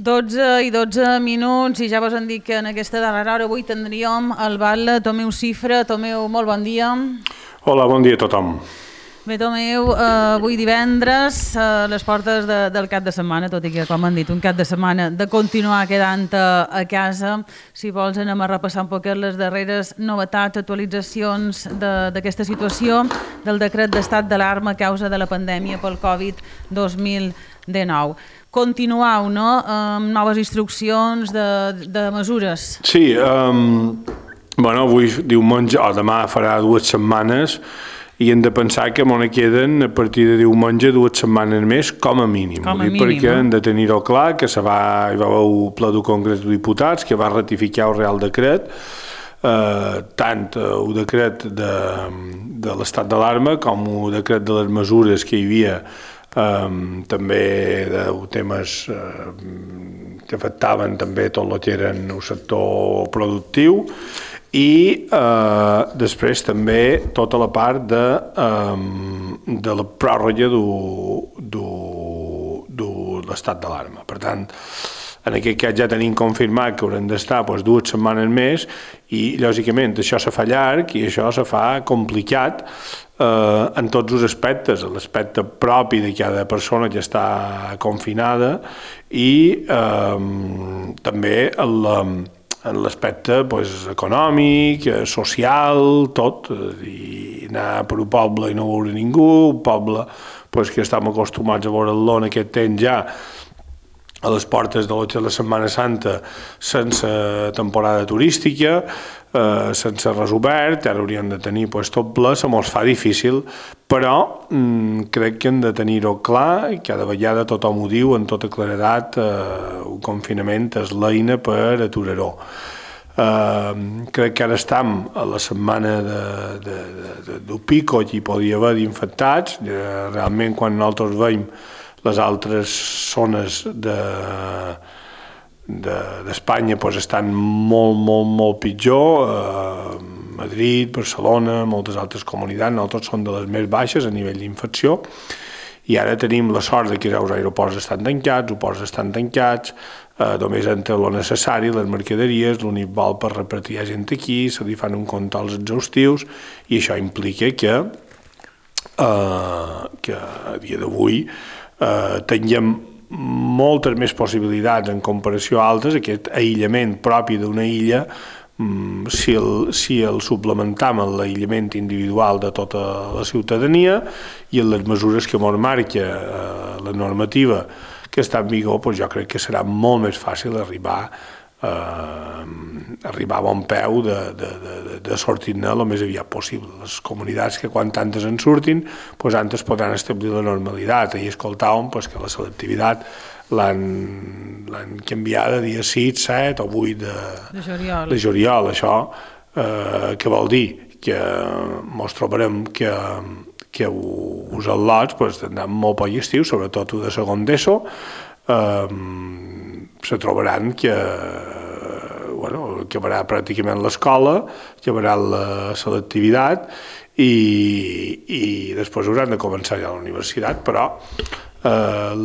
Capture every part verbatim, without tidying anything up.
dotze i dotze minuts i ja vos han dit que en aquesta darrera hora avui tindríem el batlle Tomeu Cifra. Tomeu, molt bon dia. Hola, bon dia a tothom. Bé, Tomeu, eh, avui divendres, a les portes de, del cap de setmana, tot i que, com han dit, un cap de setmana de continuar quedant a, a casa. Si vols, anem a repassar un poquet les darreres novetats, actualitzacions d'aquesta situació del decret d'estat d'alarma a causa de la pandèmia pel Covid dos mil dinou. Continuau, no?, amb noves instruccions de, de mesures. Sí, um, bueno, avui diumenge, o demà farà dues setmanes, i hem de pensar que m'on queden a partir de diumenge dues setmanes més, com a mínim. Com a mínim, perquè no? hem de tenir-ho clar, que se va, hi va haver un ple del Congrés de Diputats que va ratificar el Real Decret, eh, tant el decret de, de l'estat d'alarma com el decret de les mesures que hi havia, Um, també de temes uh, que afectaven també tot el que eren el sector productiu i uh, després també tota la part de, um, de la pròrroga de l'estat d'alarma. Per tant, en aquest cas ja tenim confirmat que haurem d'estar doncs, dues setmanes més i, lògicament, això se fa llarg i això se fa complicat eh, en tots els aspectes, l'aspecte propi de cada persona que està confinada i eh, també en l'aspecte pues, econòmic, social, tot, i anar per un poble i no veure ningú, un poble pues, que estem acostumats a veure-lo en aquest temps ja, a les portes de la Setmana Santa sense temporada turística, eh, sense res obert, ara hauríem de tenir pues, tot ple, se mos fa difícil, però mm, crec que hem de tenir-ho clar i cada vegada tothom ho diu amb tota claredat, eh, un confinament és l'eina per aturar-ho. Uh, crec que ara estem a la setmana de, de, de, de, del pico que hi podia haver d'infectats, uh, realment quan nosaltres veiem les altres zones d'Espanya de, de, pues, estan molt, molt, molt pitjor, uh, Madrid, Barcelona, moltes altres comunitats, nosaltres són de les més baixes a nivell d'infecció, i ara tenim la sort de que els aeroports estan tancats, els ports estan tancats, eh, només entra el necessari, les mercaderies, l'únic vol per repartir gent aquí, se li fan un controls exhaustius, i això implica que, eh, que a dia d'avui eh, tinguem moltes més possibilitats en comparació a altres, aquest aïllament propi d'una illa, Si el, si el suplementam en l'aïllament individual de tota la ciutadania i en les mesures que ens marca eh, la normativa que està en vigor, doncs jo crec que serà molt més fàcil arribar, eh, arribar a bon peu de, de, de, de sortir-ne el més aviat possible. Les comunitats que quan tantes en surtin, doncs antes podran establir la normalitat. Ahir escoltàvem doncs, que la selectivitat l'han canviada dia sis, set o vuit de, de, juliol. de juliol. Això eh, què vol dir? Que ens trobarem que, que els al·lots pues, tindran molt poc estiu, sobretot de segon d'ESO, eh, se trobaran que bueno, acabarà pràcticament l'escola, acabarà la selectivitat i, i després hauran de començar ja a la universitat, però Uh,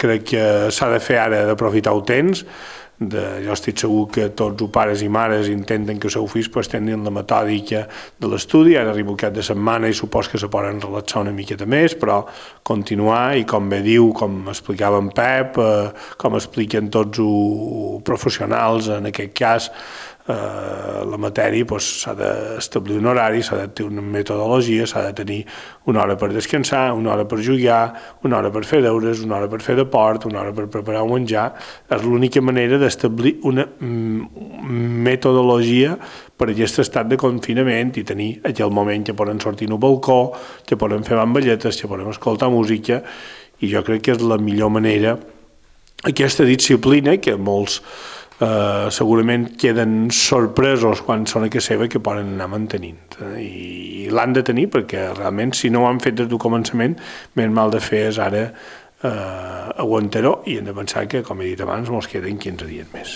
crec que s'ha de fer ara d'aprofitar el temps. De, jo estic segur que tots els pares i mares intenten que els seus fills pues, tinguin la metòdica de l'estudi. Ara arriba el cap de setmana i supos que se poden relaxar una miqueta més, però continuar i com bé diu, com explicava en Pep, eh, com expliquen tots els professionals en aquest cas, Uh, la matèria pues, s'ha d'establir un horari, s'ha de tenir una metodologia, s'ha de tenir una hora per descansar, una hora per jugar, una hora per fer deures, una hora per fer deport, una hora per preparar un menjar. És l'única manera d'establir una mm, metodologia per aquest estat de confinament i tenir aquell moment que poden sortir al balcó, que poden fer bamballetes, que poden escoltar música, i jo crec que és la millor manera. Aquesta disciplina que molts Uh, segurament queden sorpresos quan són a casa seva que poden anar mantenint uh, i, i l'han de tenir perquè realment si no ho han fet des del començament més mal de fer és ara uh, aguantar-ho i hem de pensar que com he dit abans ens queden quinze dies més.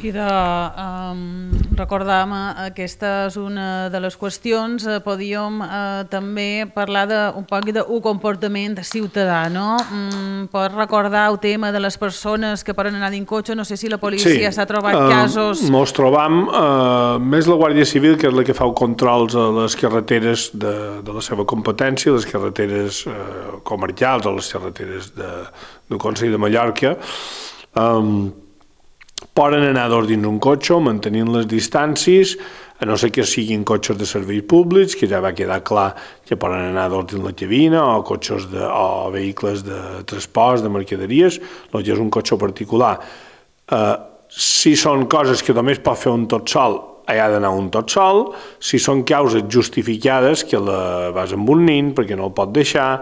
I de um, recordar aquesta és una de les qüestions, eh, podíem eh, també parlar de, un poc d'un comportament ciutadà, no? Mm, pots recordar el tema de les persones que poden anar dins cotxe, no sé si la policia s'ha sí, trobat eh, casos... Mos trobam eh, més la Guàrdia Civil, que és la que fa controls a les carreteres de, de la seva competència, les carreteres eh, comercials o les carreteres de, del Consell de Mallorca. Eh, poden anar dos dins un cotxe mantenint les distàncies, a no ser que siguin cotxes de serveis públics, que ja va quedar clar que poden anar dos dins la cabina, o cotxes de, o vehicles de transport, de mercaderies, el que és un cotxe particular. Eh, si són coses que només pot fer un tot sol, hi ha d'anar un tot sol. Si són causes justificades, que la vas amb un nin perquè no el pot deixar,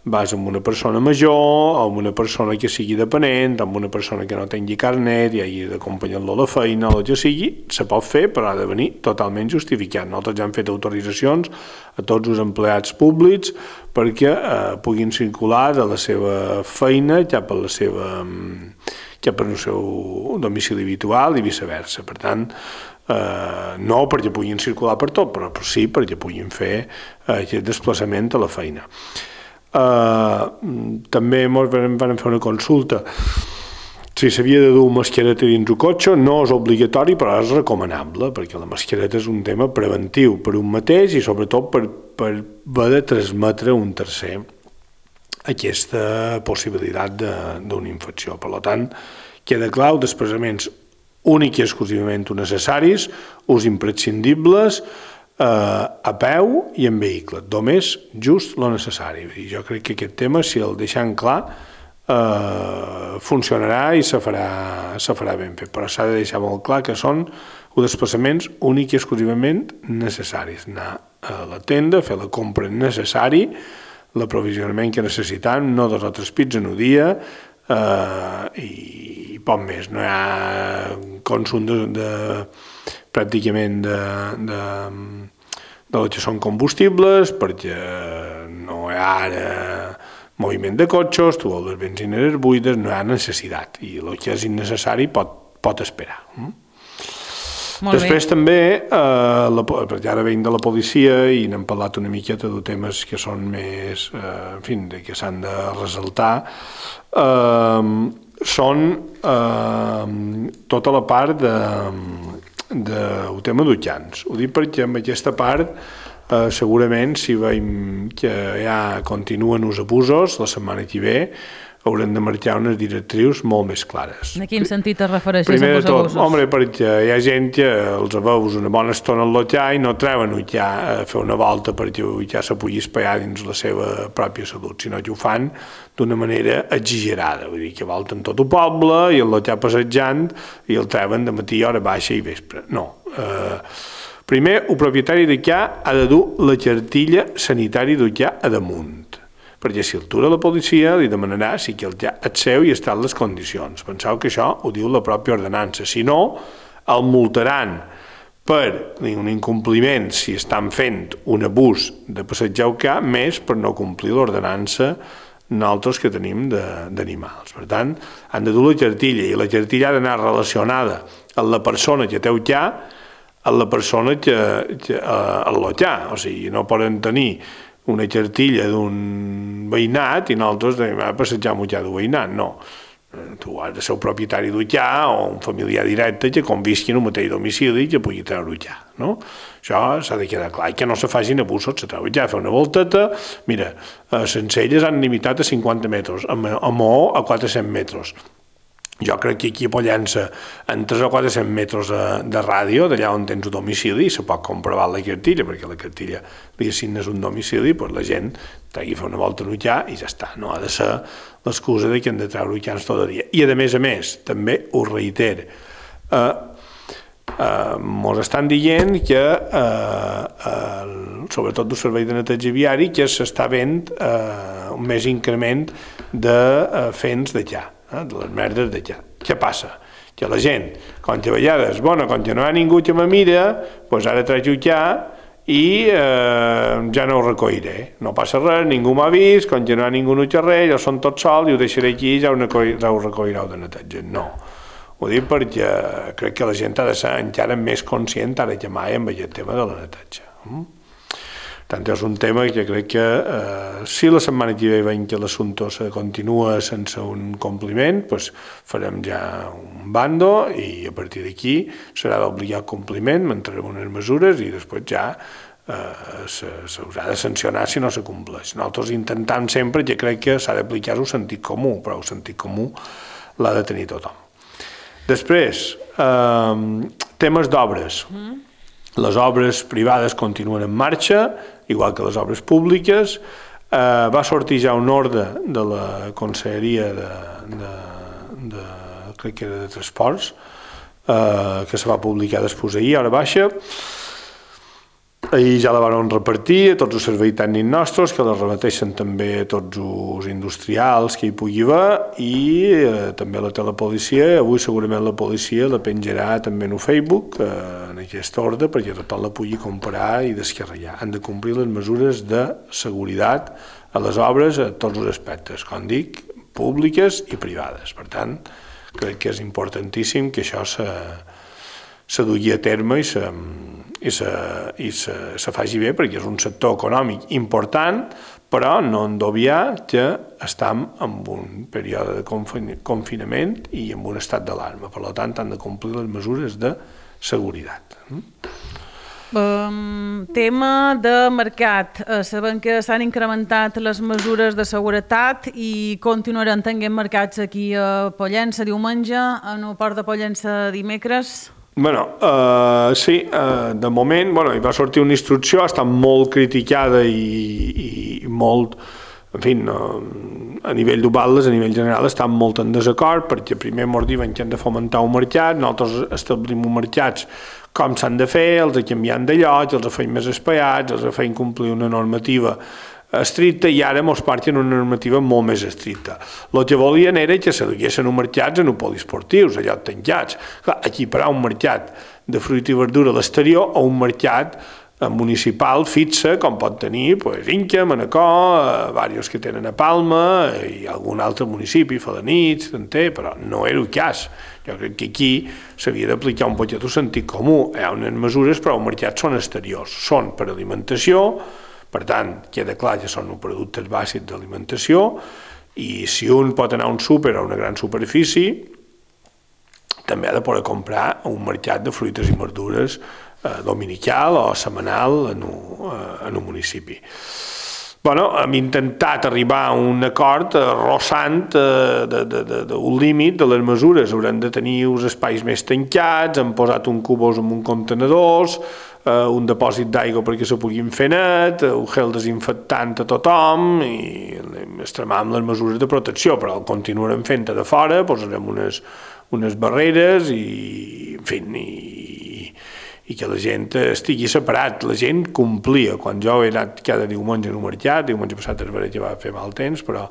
vas amb una persona major, o amb una persona que sigui dependent, amb una persona que no tingui carnet i hagi d'acompanyar-lo a la feina, o el que sigui, se pot fer, però ha de venir totalment justificat. Nosaltres ja hem fet autoritzacions a tots els empleats públics perquè eh, puguin circular de la seva feina cap a la seva cap al seu domicili habitual i viceversa. Per tant, eh, no perquè puguin circular per tot, però sí perquè puguin fer eh, aquest desplaçament a la feina. Eh, també ens van fer una consulta si s'havia de dur mascareta dins el cotxe. No és obligatori, però és recomanable, perquè la mascareta és un tema preventiu per un mateix i sobretot per, per haver de transmetre a un tercer aquesta possibilitat d'una infecció. Per tant, queda clar els desplaçaments únics i exclusivament necessaris, ús imprescindibles, eh, a peu i en vehicle, només just lo necessari. Jo crec que aquest tema, si el deixem clar, eh, funcionarà i se farà, se farà ben fet, però s'ha de deixar molt clar que són els desplaçaments únics i exclusivament necessaris. Anar a la tenda, fer la compra necessari, l'aprovisionament que necessitem, no dos o tres pits en un dia, eh, i poc més. No hi ha consum de, de pràcticament de, de, de lo que són combustibles, perquè no hi ha ara moviment de cotxes, tu les benzineres buides, no hi ha necessitat, i el que és innecessari pot, pot esperar. Molt Després bé. també, eh, la, perquè ara venim de la policia i n'hem parlat una miqueta de temes que són més, eh, en fi, que s'han de ressaltar, eh, són eh, tota la part de, de, el tema d'utjans. Ho dic perquè en aquesta part eh, segurament si veiem que ja continuen els abusos, la setmana que ve haurem de marcar unes directrius molt més clares. En quin sentit es refereixes Primer als de tot, abusos? home, perquè hi ha gent que els veus una bona estona al lotjar i no treuen utjar a fer una volta perquè utjar se pugui espaiar dins la seva pròpia salut, sinó que ho fan d'una manera exagerada, vull dir que volten tot el poble i el lotjar passejant i el treuen de matí, hora baixa i vespre. No. Eh, primer, el propietari d'utjar ha de dur la cartilla sanitària d'utjar a damunt, perquè si el tura la policia li demanarà si que el ja és seu i està en les condicions. Penseu que això ho diu la pròpia ordenança. Si no, el multaran per un incompliment si estan fent un abús de passejar el cap, més per no complir l'ordenança nosaltres que tenim d'animals. Per tant, han de dur la cartilla i la cartilla ha d'anar relacionada amb la persona que té el cap, amb la persona que, que el lotjar. O sigui, no poden tenir una cartilla d'un veïnat i nosaltres anem a passejar amb utjar d'un veïnat, no. Tu has de ser el propietari d'utjar o un familiar directe que convisqui en un mateix domicili i que pugui treure utjar, no? Això s'ha de quedar clar, i que no se facin abusos, se treu utjar, fer una volteta, mira, a Sencelles han limitat a cinquanta metres, a Maó a quatre-cents metres. Jo crec que aquí a Pollença, en tres o quatre-cents metres de ràdio, d'allà on tens un domicili, se pot comprovar la cartilla, perquè la cartilla li assignes un domicili, doncs la gent t'hagi de fer una volta a l'utjar i ja està. No ha de ser l'excusa de que hem de treure utjans tot el dia. I a més a més, també ho reiter, eh, eh, mos estan dient que, eh, eh, sobretot del servei de neteja viari, que s'està venent eh, un més increment de eh, fents de ja. de les merdes de ja. Què passa? Que la gent, quan que a vegades, bueno, quan que no hi ha ningú que me mira, doncs ara traig ja i eh, ja no ho recolliré. No passa res, ningú m'ha vist, quan que no hi ha ningú no xerrer, jo som tot sol i ho deixaré aquí i ja ho recollireu de neteja. No. Ho dic perquè crec que la gent ha de ser encara més conscient ara que mai amb aquest tema de la neteja. Tant és un tema que crec que eh, si la setmana que ve veiem que l'assumpte se continua sense un compliment, doncs farem ja un bando i a partir d'aquí serà d'obligat compliment, mantenem unes mesures i després ja eh, s'haurà de sancionar si no se compleix. Nosaltres intentant sempre, que crec que s'ha d'aplicar el sentit comú, però el sentit comú l'ha de tenir tothom. Després, eh, temes d'obres. Mm. Les obres privades continuen en marxa, igual que les obres públiques. Eh, va sortir ja un ordre de la Conselleria de, de, de, crec que era de Transports, eh, que se va publicar després ahir, a hora baixa. Ahir ja la van repartir a tots els serveis tècnics nostres, que la remeteixen també a tots els industrials que hi pugui haver, i eh, també la telepolicia. Avui segurament la policia la penjarà també en el Facebook, eh, en aquest ordre, perquè tothom la pugui comprar i descarregar. Han de complir les mesures de seguretat a les obres a tots els aspectes, com dic, públiques i privades. Per tant, crec que és importantíssim que això se, se dugui a terme i se... i se, i se, se faci bé, perquè és un sector econòmic important, però no hem d'obviar que estem en un període de confinament i en un estat d'alarma. Per tant, han de complir les mesures de seguretat. Um, tema de mercat. Uh, sabem que s'han incrementat les mesures de seguretat i continuaran tenint mercats aquí a Pollença diumenge, en el port de Pollença dimecres. Bueno, uh, sí, uh, de moment, bueno, hi va sortir una instrucció, ha estat molt criticada i, i molt, en fi, no, a nivell d'Ubaldes, a nivell general, estan molt en desacord, perquè primer ens diuen que hem de fomentar un mercat, nosaltres establim uns mercats com s'han de fer, els canviem de lloc, els feim més espaiats, els feim complir una normativa estricta, i ara ens parten una normativa molt més estricta. El que volien era que se duguessin uns mercats en poliesportius, allò tancats. Clar, equiparar un mercat de fruita i verdura a l'exterior a un mercat municipal fixa, com pot tenir pues, Inca, Manacor, diversos que tenen a Palma i algun altre municipi, Felanitx, Tanter, però no era el cas. Jo crec que aquí s'havia d'aplicar un poquet el sentit comú. Hi ha unes mesures, però els mercats són exteriors, són per alimentació. Per tant, queda clar que són productes bàsics d'alimentació, i si un pot anar a un súper o a una gran superfície, també ha de poder comprar un mercat de fruites i verdures eh, dominical o setmanal en un, eh, en un municipi. Bueno, hem intentat arribar a un acord arrossant eh, d'un límit de les mesures. Haurem de tenir uns espais més tancats, hem posat un cubós en un contenedors, eh, un depòsit d'aigua perquè se puguin fer net, un gel desinfectant a tothom, i extremam les mesures de protecció, però el continuarem fent de fora, posarem unes, unes barreres i, en fi, i, i que la gent estigui separat. La gent complia. Quan jo he anat cada diumenge en un mercat, diumenge passat és veritat que va fer mal temps, però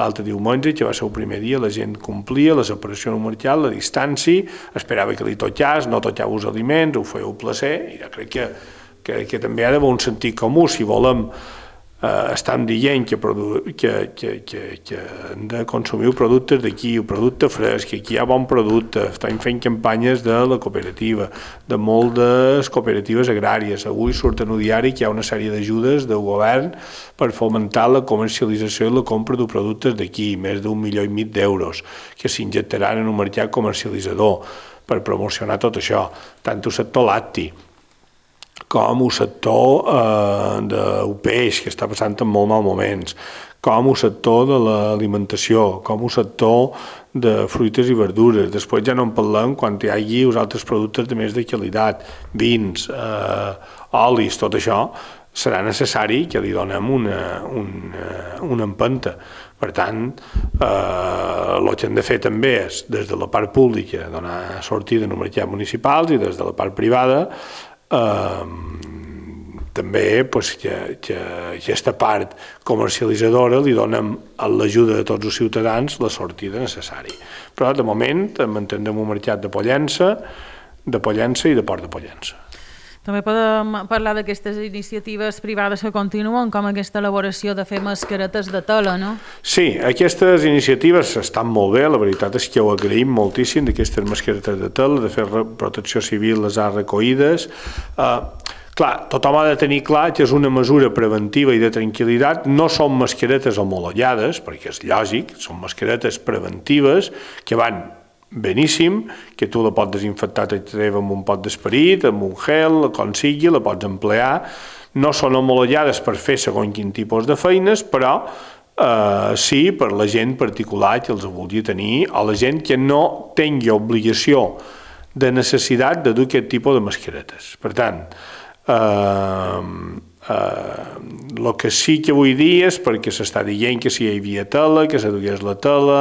l'altre diumenge, que va ser el primer dia, la gent complia la separació en un mercat, la distància, esperava que li tocés, no tocava els aliments, ho feia un plaer, i jo crec que, que, que també ha d'haver un sentit comú. Si volem eh, estem dient que, que, que, que, que hem de consumir productes d'aquí, un producte fresc, que aquí hi ha bon producte. Estem fent campanyes de la cooperativa, de moltes cooperatives agràries. Avui surt en el diari que hi ha una sèrie d'ajudes del govern per fomentar la comercialització i la compra de productes d'aquí, més d'un milió i mig d'euros, que s'injectaran en un mercat comercialitzador per promocionar tot això, tant el sector lacti com el sector eh, del peix, que està passant en molt mal moments, com el sector de l'alimentació, com el sector de fruites i verdures. Després ja no en parlem quan hi hagi els altres productes de més de qualitat, vins, eh, olis, tot això serà necessari que li donem una, una, una empenta. Per tant, eh, el que hem de fer també és, des de la part pública, donar sortida en els mercats municipals, i des de la part privada Uh, també pues, que, que aquesta part comercialitzadora li donem a l'ajuda de tots els ciutadans la sortida necessària. Però de moment mantindrem un mercat de Pollença, de Pollença i de Port de Pollença. També podem parlar d'aquestes iniciatives privades que continuen, com aquesta elaboració de fer mascaretes de tela, no? Sí, aquestes iniciatives estan molt bé, la veritat és que ho agraïm moltíssim, d'aquestes mascaretes de tela, de fer protecció civil les ha recollides. Uh, clar, tothom ha de tenir clar que és una mesura preventiva i de tranquil·litat, no són mascaretes homologades, perquè és lògic, són mascaretes preventives que van beníssim, que tu la pots desinfectar amb un pot d'esperit, amb un gel, com sigui, la pots emplear. No són homologades per fer segons quin tipus de feines, però eh, sí per la gent particular que els vulgui tenir, o la gent que no tingui obligació de necessitat de dur aquest tipus de mascaretes. Per tant, eh, el uh, que sí que vull dir és perquè s'està dient que si hi havia tela, que se dugués la tela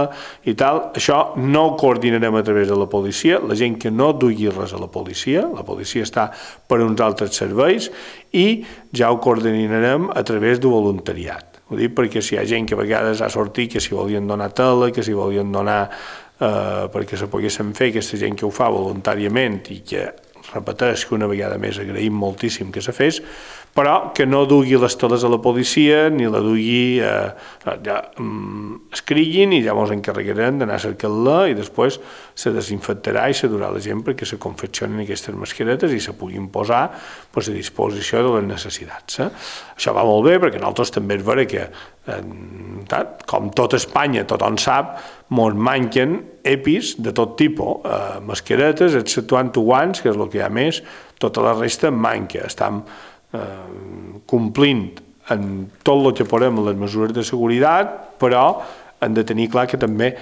i tal, això no ho coordinarem a través de la policia, la gent que no dugui res a la policia, la policia està per uns altres serveis i ja ho coordinarem a través del voluntariat. Ho dic perquè si hi ha gent que a vegades ha sortit que si volien donar tela, que si volien donar eh, perquè se poguessin fer, aquesta gent que ho fa voluntàriament i que repeteix que una vegada més agraïm moltíssim que se fes, però que no dugui les teles a la policia ni la dugui, eh, ja, mm, escriguin i ja ens encarregarem d'anar a cercar-la i després se desinfectarà i se durà la gent perquè se confeccionen aquestes mascaretes i se puguin posar pues, a disposició de les necessitats. Eh? Això va molt bé perquè nosaltres també és vera que, eh, com tot Espanya, tothom sap, ens manquen EPIs de tot tipus, eh, mascaretes, exceptuant guants, que és el que hi ha més, tota la resta manca. Estem eh, complint en tot el que podem les mesures de seguretat, però hem de tenir clar que també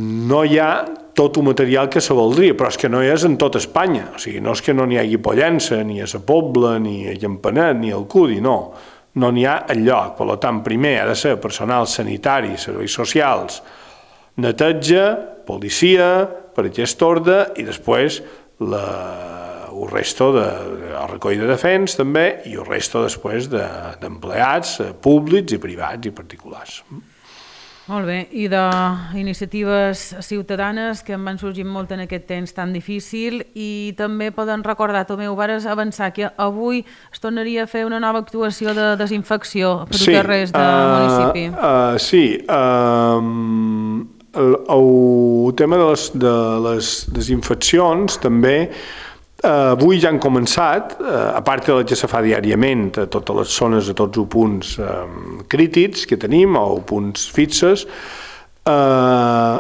no hi ha tot el material que se voldria, però és que no hi és en tot Espanya. O sigui, no és que no n'hi hagi Pollença, ni a la Pobla, ni a Campanet, ni al Cudi, no. No n'hi ha enlloc. Per tant, primer ha de ser personal sanitari, serveis socials, neteja, policia, per aquest ordre, i després la, el resto de, el recoll de defens també, i el resto després d'empleats de, públics i privats i particulars. Molt bé, i d'iniciatives ciutadanes que en van sorgir molt en aquest temps tan difícil i també poden recordar, Tomeu, vares avançar que avui es tornaria a fer una nova actuació de desinfecció per sí, carrers del uh, municipi. Uh, sí, uh, el, el tema de les, de les desinfeccions també Uh, avui ja han començat, uh, a part de la que se fa diàriament a totes les zones, a tots els punts um, crítics que tenim o punts fixes, uh,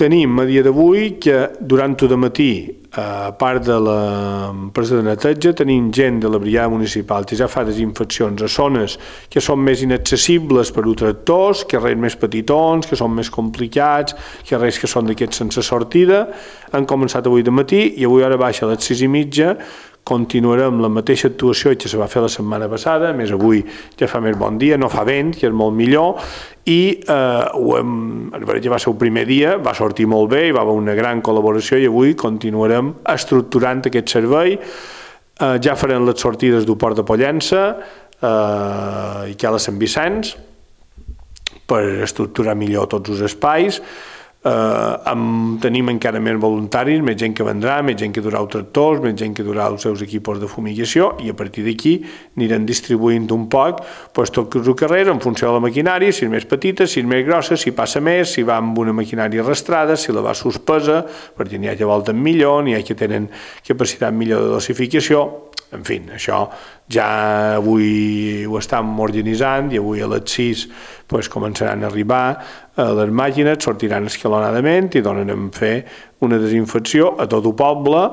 tenim a dia d'avui que durant el matí, uh, a part de l'empresa de neteja, tenim gent de la brigada municipal que ja fa desinfeccions a zones que són més inaccessibles per a tractors, carrers més petitons, que són més complicats, carrers que són d'aquests sense sortida. Han començat avui de matí i avui hora baixa a les sis i mitja continuarem la mateixa actuació que se va fer la setmana passada, a més avui ja fa més bon dia, no fa vent, que és molt millor, i eh, ho hem, ja va ser el primer dia, va sortir molt bé, hi va haver una gran col·laboració i avui continuarem estructurant aquest servei, eh, ja farem les sortides del Port de Pollença eh, i que a la Sant Vicenç per estructurar millor tots els espais. Uh, amb, tenim encara més voluntaris, més gent que vendrà, més gent que durà els tractors, més gent que durà els seus equipos de fumigació i a partir d'aquí anirem distribuint un poc pues, tots els carrers en funció de la maquinària, si és més petita, si és més grossa, si passa més, si va amb una maquinària arrastrada, si la va suspesa, perquè n'hi ha que volten millor, n'hi ha que tenen capacitat millor de dosificació. En fi, això ja avui ho estem organitzant i avui a les sis pues, començaran a arribar a les màquines, sortiran escalonadament i donarem a fer una desinfecció a tot el poble.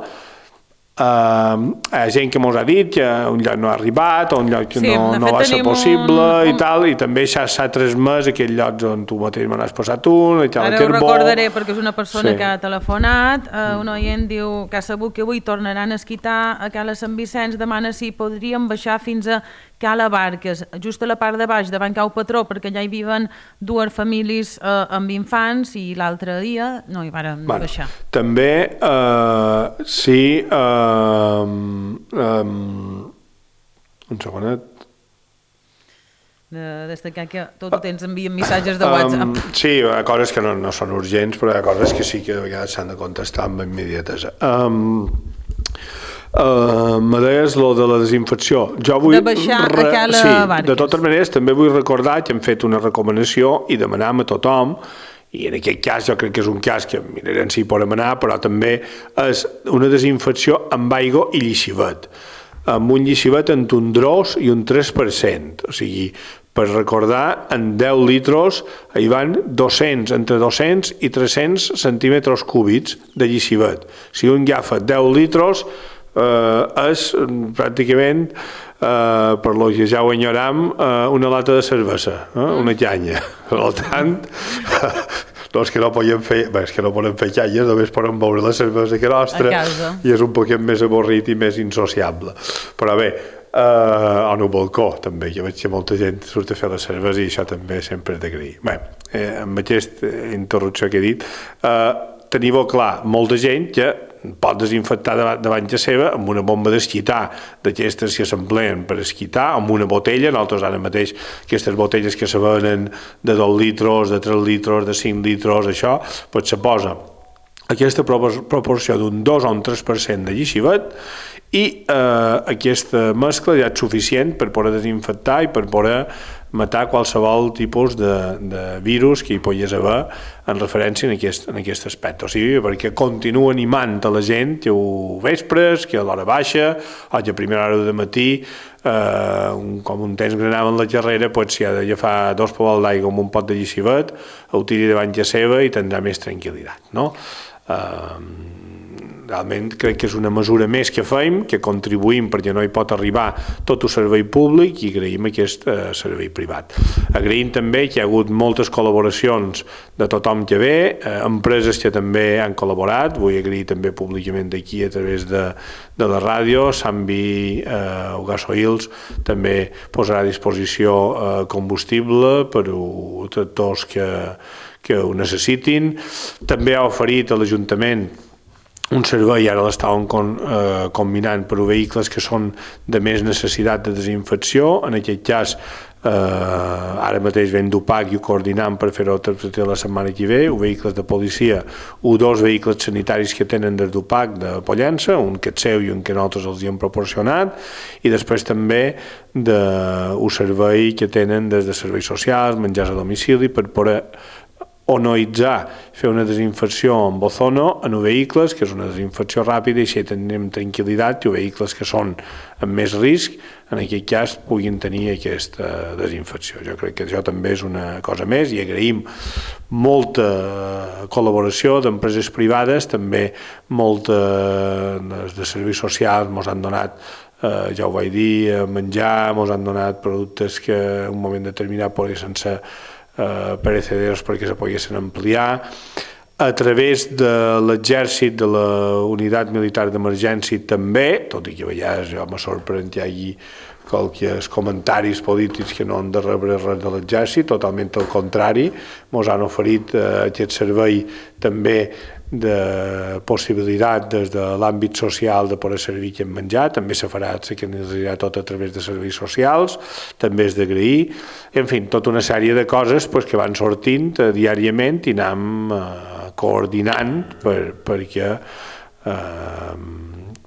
Uh, hi ha gent que mos ha dit que un lloc no ha arribat o un lloc que sí, no, no va ser possible un... i tal, i també s'ha transmès aquells llocs on tu mateix me n'has posat un i tal. Ara ho recordaré perquè és una persona sí. que ha telefonat, uh, un oient diu que ha sabut que avui tornaran a esquitar a Cala Sant Vicenç, demana si podríem baixar fins a Cala Barques, just a la part de baix davant Cau Patró, perquè allà hi viven dues famílies uh, amb infants i l'altre dia no hi varen bueno, baixar. També uh, sí uh, um, un segonet de destacar que tot ho tens envien missatges de WhatsApp. Um, sí, hi ha coses que no, no són urgents, però hi ha coses que sí que de vegades s'han de contestar amb immediatesa. Um, Uh, me deies lo de la desinfecció. Jo vull de baixar re... a cala sí, Barques. De totes maneres, també vull recordar que hem fet una recomanació i demanam a tothom, i en aquest cas jo crec que és un cas que mirarem si hi podem anar, però també és una desinfecció amb aigua i llixivet, amb un llixivet entre un dos i un tres per cent, o sigui, per recordar, en deu litros hi van dos-cents, entre dos-cents i tres-cents centímetres cúbics de llixivet. Si un agafa deu litros, eh, és pràcticament, eh, per lo que ja ho enyoram, eh, una lata de cervesa, eh, una canya. Per tant, no és que no podem fer, bé, és que no podem fer canyes, només podem beure la cervesa que nostra i és un poquet més avorrit i més insociable. Però bé, Uh, en un balcó també, jo veig que molta gent surt a fer la cervesa i això també sempre és d'agrair. Bé, eh, amb aquesta interrupció que he dit, uh, teniu clar, molta gent que pot desinfectar davant, davant de seva amb una bomba d'esquitar, d'aquestes que s'empleen per esquitar, amb una botella. Nosaltres ara mateix aquestes botelles que se venen de dos litros, de tres litros, de cinc litros, això, doncs se posa aquesta proporció d'un dos o un tres per cent de llixivet i eh, aquesta mescla ja és suficient per poder desinfectar i per poder matar qualsevol tipus de, de virus que hi pogués haver en referència en aquest, en aquest aspecte. O sigui, perquè continua animant a la gent que ho vespres, que a l'hora baixa, o que a primera hora de matí, eh, un, com un temps que anava en la carrera, pues, si ha d'agafar dos pavals d'aigua amb un pot de llixivet, ho tiri davant de seva i tindrà més tranquil·litat, no? Uh, realment crec que és una mesura més que fem, que contribuïm perquè no hi pot arribar tot el servei públic i agraïm aquest uh, servei privat. Agraïm també que hi ha hagut moltes col·laboracions de tothom que ve, uh, empreses que també han col·laborat, vull agrair també públicament d'aquí a través de, de la ràdio, Sambi uh, Gasoils també posarà a disposició uh, combustible per a tractors que que ho necessitin. També ha oferit a l'Ajuntament un servei, ara l'estàvem con, eh, combinant per a vehicles que són de més necessitat de desinfecció. En aquest cas, eh, ara mateix vam d'UPAC i ho coordinam per fer-ho la setmana que ve, o vehicles de policia, o dos vehicles sanitaris que tenen des d'UPAC de Pollença, un que és seu i un que nosaltres els hi hem proporcionat, i després també de, un servei que tenen des de serveis socials, menjars a domicili, per poder onoitzar, fer una desinfecció amb ozono en vehicles, que és una desinfecció ràpida, i així tenim tranquil·litat que vehicles que són amb més risc, en aquest cas, puguin tenir aquesta desinfecció. Jo crec que això també és una cosa més i agraïm molta col·laboració d'empreses privades, també molta de serveis socials ens han donat, eh, ja ho vaig dir, menjar, ens han donat productes que en un moment determinat poguessin ser Uh, perecederos perquè se poguessin ampliar. A través de l'exèrcit, de la unitat militar d'emergència també, tot i que a vegades jo me sorprèn que hi hagi qualques comentaris polítics que no han de rebre res de l'exèrcit, totalment al contrari, ens han oferit uh, aquest servei també de possibilitat des de l'àmbit social de poder servir aquest menjar, també se farà, se canalitzarà tot a través de serveis socials, també és d'agrair, en fi, tota una sèrie de coses pues, que van sortint eh, diàriament i anem eh, coordinant per, perquè eh,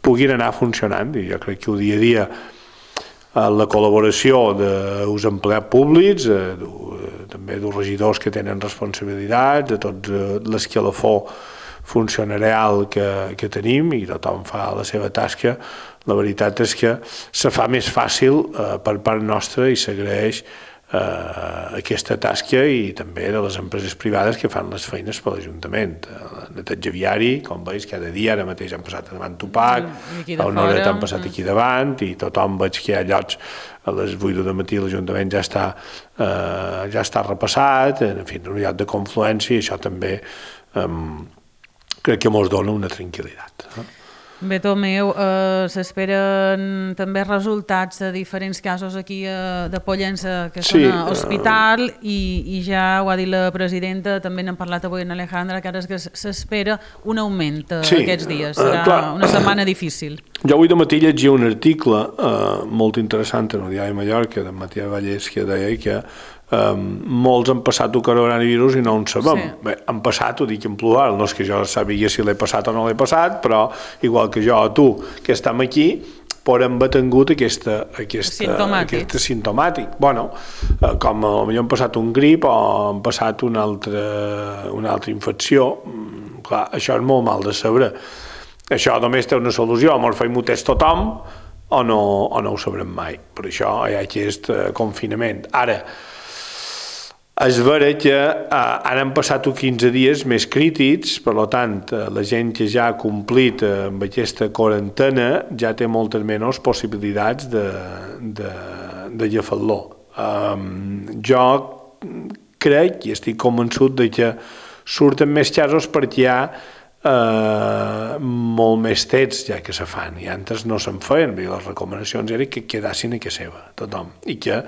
puguin anar funcionant, i jo crec que el dia a dia la col·laboració dels empleats públics, eh, també dels regidors que tenen responsabilitats, de tot l'escalafó funcionarial que, que tenim, i tothom fa la seva tasca. La veritat és que se fa més fàcil eh, per part nostra i s'agraeix eh, aquesta tasca, i també de les empreses privades que fan les feines per l'Ajuntament. El neteja viari, com veus, cada dia, ara mateix han passat davant Tupac, a una hora han passat aquí davant, i tothom veig que hi ha llocs a les vuit del matí l'Ajuntament ja està, eh, ja està repassat, en fi, un lloc de confluència, i això també eh, crec que ens dona una tranquil·litat. Bé, Tomeu, eh, s'esperen també resultats de diferents casos aquí eh, de Pollença que són sí, a hospital uh... i, i ja ho ha dit la presidenta, també n'hem parlat avui en Alejandra, que ara és que s'espera un augment eh, sí, aquests dies, serà uh, una setmana difícil. Jo avui de matí llegia un article eh, molt interessant en el diari Mallorca, d'en Matías Vallès, que deia que eh, molts han passat el coronavirus i no en sabem. Sí. Bé, han passat, ho dic en plural, no és que jo sàpiga si l'he passat o no l'he passat, però igual que jo o tu, que estem aquí, però hem tingut aquesta, aquesta, Sintomàtic. aquesta sintomàtic. Bueno, eh, com potser han passat un grip o han passat una altra, una altra infecció, clar, això és molt mal de saber. Això només té una solució, o fem un test tothom o no, o no ho sabrem mai. Per això hi ha aquest confinament. Ara, és vera que eh, ara han passat uns quinze dies més crítics, per tant, la gent que ja ha complit amb aquesta quarantena ja té moltes menys possibilitats de, de, de agafar-lo. Um, jo crec i estic convençut de que surten més casos perquè hi ha Uh, molt més tests ja que se fan i antes no se'n feien, les recomanacions eren que quedassin a casa seva tothom i que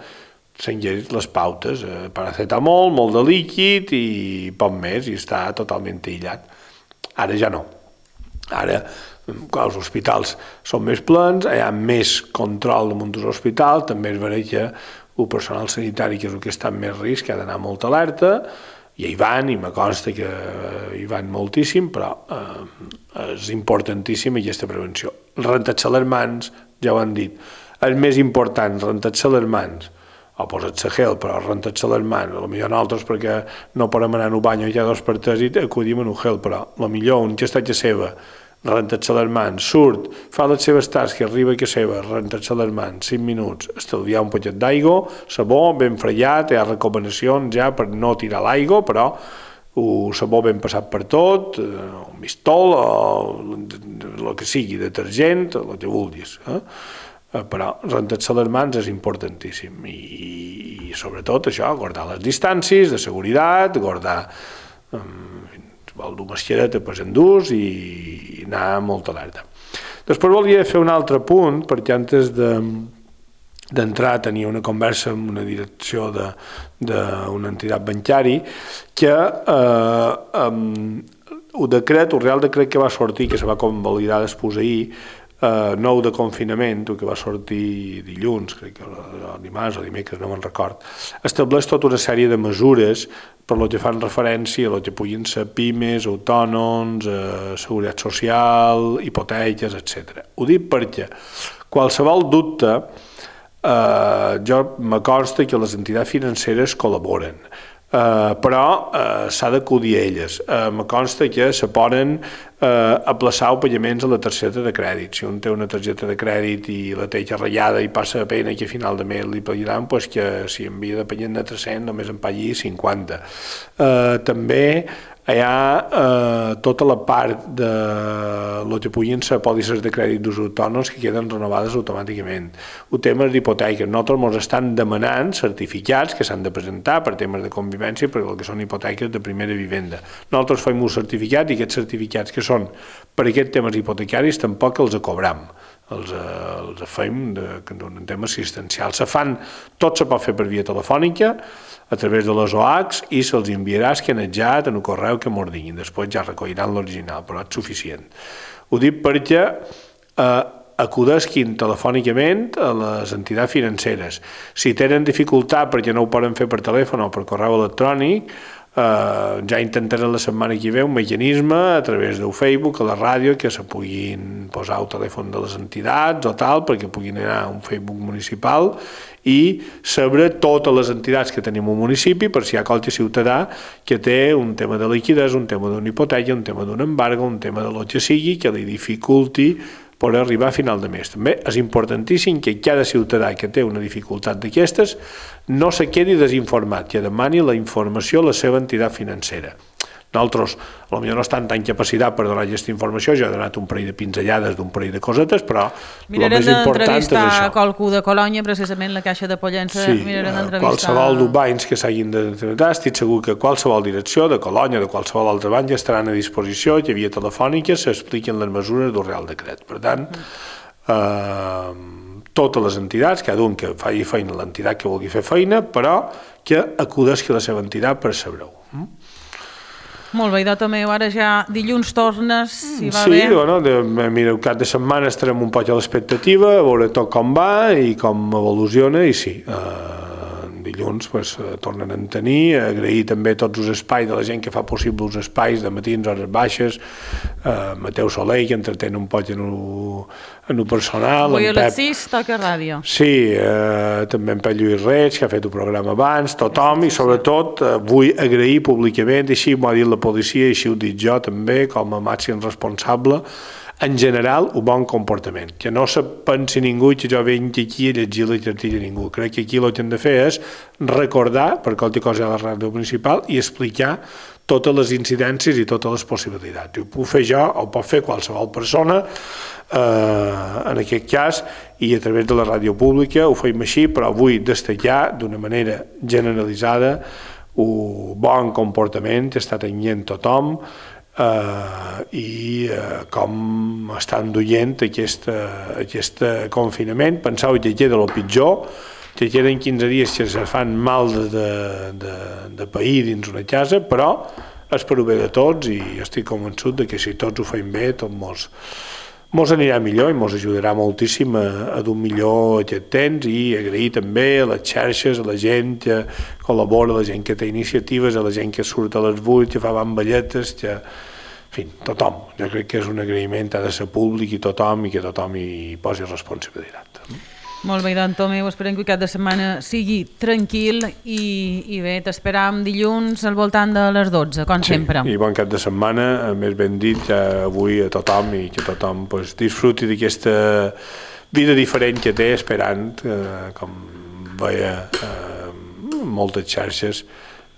s'enguessin les pautes, uh, paracetamol, molt de líquid i poc més i està totalment aïllat. Ara ja no, ara clar, els hospitals són més plens, hi ha més control damunt dels hospitals, també és vera que el personal sanitari, que és el que està en més risc, ha d'anar molt alerta, i hi van, i me consta que hi van moltíssim, però eh, és importantíssima aquesta prevenció. Rentar-se les mans, ja ho han dit, és més important rentar-se les mans, o posar-se gel, però rentar-se les mans, potser nosaltres perquè no podem anar en un bany ja dos per tres i acudim en un gel, però potser un que està a casa seva, rentar-se les mans, surt, fa les seves tasques, arriba a casa seva, rentar-se les mans, cinc minuts, estalviar un poquet d'aigua, sabó, ben fregat, hi ha recomanacions ja per no tirar l'aigua, però el sabó ben passat per tot, un mistol, o el que sigui, detergent, el que vulguis. Eh? Però rentar-se les mans és importantíssim i, i sobretot això, guardar les distàncies de seguretat, guardar um, vol dur mascareta per endús i anar molt alerta. Després volia fer un altre punt, perquè antes de, d'entrar tenia una conversa amb una direcció d'una entitat bancària que eh, um, el decret, el real decret que va sortir, que se va convalidar després ahir, Uh, nou de confinament, que va sortir dilluns, crec que o dimarts o dimecres, no me'n record, estableix tota una sèrie de mesures per lo que fan referència a lo que puguin ser pimes, autònoms, eh, seguretat social, hipoteques, etcètera. Ho dic perquè qualsevol dubte, eh, jo me consta que les entitats financeres col·laboren, Uh, però uh, s'ha d'acudir a elles. Uh, me consta que se poden uh, aplaçar els pagaments a la targeta de crèdit. Si un té una targeta de crèdit i la té ratllada i passa a pena que a final de mes li pagaran, pues que si envia de pagament de tres-cents només en pagui cinquanta. Uh, també hi ha eh, tota la part de lo que puguin ser pòlisses de crèdit dels autònoms que queden renovades automàticament. El tema d'hipoteques. Nosaltres ens estan demanant certificats que s'han de presentar per temes de convivència per el que són hipoteques de primera vivenda. Nosaltres fem un certificat i aquests certificats que són per aquests temes hipotecaris tampoc els cobram. Els, eh, els fem d'un tema assistencial. Se fan, tot se pot fer per via telefònica, a través de les O H i se'ls enviarà escanejat en el correu que mos diguin. Després ja recolliran l'original, però és suficient. Ho dic perquè eh, acudisquin telefònicament a les entitats financeres. Si tenen dificultat perquè no ho poden fer per telèfon o per correu electrònic, Uh, ja intentaré la setmana que ve un mecanisme a través del Facebook, a la ràdio, que se puguin posar el telèfon de les entitats o tal, perquè puguin anar a un Facebook municipal i saber totes les entitats que tenim al municipi per si hi ha qualsevol ciutadà que té un tema de liquiditat, un tema d'una hipoteca, un tema d'un embargo, un tema de lo que sigui, que li dificulti per arribar a final de mes. També és importantíssim que cada ciutadà que té una dificultat d'aquestes no se quedi desinformat, que demani la informació a la seva entitat financera. Nosaltres, potser no estan tan capacitat per donar aquesta informació, jo he donat un parell de pinzellades d'un parell de cosetes, però el més important és això. Mirarem d'entrevistar qualcú de Colònia, precisament la Caixa de Pollença, sí, mirarem d'entrevistar... qualsevol dels bancs que s'hagin d'entrevistar, estic segur que qualsevol direcció de Colònia, de qualsevol altre banc, estaran a disposició, que via telefònica s'expliquen les mesures del Real Decret. Per tant, eh, totes les entitats, cada un que faci feina l'entitat que vulgui fer feina, però que acudisqui a la seva entitat per saber-ho. Molt bé, idò també, ara ja dilluns tornes, si va sí, bé. Sí, bueno, de, mira, el cap de setmana estarem un poc a l'expectativa, a veure tot com va i com evoluciona, i sí, eh, dilluns pues, tornen a tenir, agrair també tots els espais de la gent que fa possible els espais de matins, hores baixes, eh, Mateu Soler, que entretén un poc en el, en el personal. Avui a les sis toca ràdio. Sí, eh, també en Pep Lluís Reig, que ha fet el programa abans, tothom, i sobretot eh, vull agrair públicament, així m'ho ha dit la policia, i així ho dic jo també, com a màxim responsable, en general, un bon comportament. Que no se pensi ningú que jo venc aquí a llegir la cartilla a ningú. Crec que aquí el que hem de fer és recordar, per qualsevol cosa a la ràdio principal, i explicar totes les incidències i totes les possibilitats. Ho puc fer jo, o ho pot fer qualsevol persona, eh, en aquest cas, i a través de la ràdio pública ho feim així, però vull destacar d'una manera generalitzada un bon comportament que està tenint tothom, Uh, i uh, com estan duient aquest, uh, aquest confinament. Penseu que queda el pitjor, que queden quinze dies que se fan mal de, de, de, de pair dins una casa, però és per ho bé de tots, i estic convençut de que si tots ho feim bé, tot mos, mos anirà millor i mos ajudarà moltíssim a, a dur millor aquest temps. I agrair també a les xarxes, a la gent que col·labora, a la gent que té iniciatives, a la gent que surt a les vuit, que fa bamballetes, que... En fi, tothom. Jo crec que és un agraïment, ha de ser públic, i tothom, i que tothom hi posi responsabilitat. Molt bé, doncs, Tomeu, esperem que el cap de setmana sigui tranquil i, i bé, t'esperam dilluns al voltant de les dotze, com sí, sempre. I bon cap de setmana, més ben dit, ja avui a tothom, i que tothom pues, disfruti d'aquesta vida diferent que té, esperant, eh, com veia eh, moltes xarxes,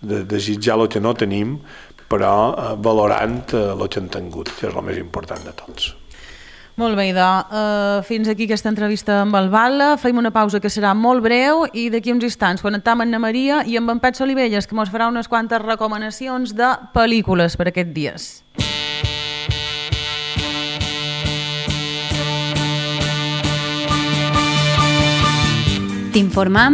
de desitjar el que no tenim, però eh, valorant eh, el que hem tingut, que és el més important de tots. Molt bé, idò. Uh, fins aquí aquesta entrevista amb el Bala. Feim una pausa que serà molt breu i d'aquí uns instants connectam amb Anna Maria i amb en Pep Solivelles, que ens farà unes quantes recomanacions de pel·lícules per aquests dies. T'informam